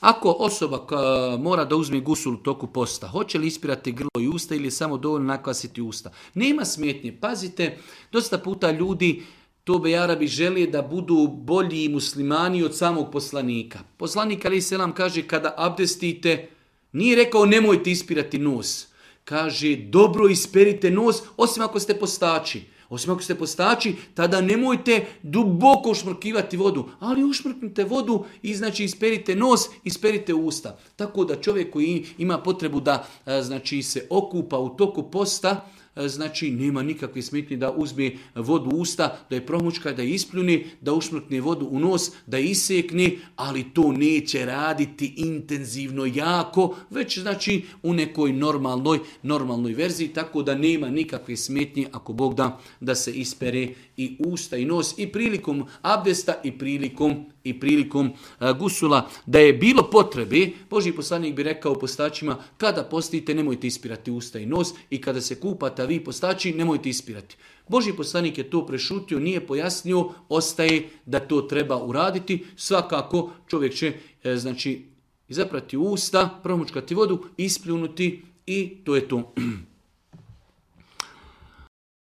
Ako osoba mora da uzme gusul u toku posta, hoće li ispirati grlo i usta ili je samo dovoljno nakvasiti usta? Nema smetnje. Pazite, dosta puta ljudi tobe Arabi žele da budu bolji muslimani od samog poslanika. Poslanik alejhi selam kaže kada abdestite, nije rekao nemojte ispirati nos. Kaže dobro isperite nos, osim ako ste postači. Osim ako ste postači, tada nemojte duboko ušmrkivati vodu. Ali ušmrknite vodu i znači isperite nos, isperite usta. Tako da čovjek koji ima potrebu da znači se okupa u toku posta, znači nema nikakve smetnje da uzme vodu u usta, da je promučka, da je ispljuni, da ušmrkne vodu u nos, da je isekne, ali to neće raditi intenzivno jako, već znači u nekoj normalnoj verziji, tako da nema nikakve smetnje ako Bog da se ispere i usta i nos i prilikom abdesta i prilikom gusula. Da je bilo potrebe, Božji poslanik bi rekao postačima, kada postite nemojte ispirati usta i nos i kada se kupate, a vi postači nemojte ispirati. Božji poslanik je to prešutio, nije pojasnio, ostaje da to treba uraditi. Svakako čovjek će znači izaprati usta, promučkati vodu, ispljunuti i to je to.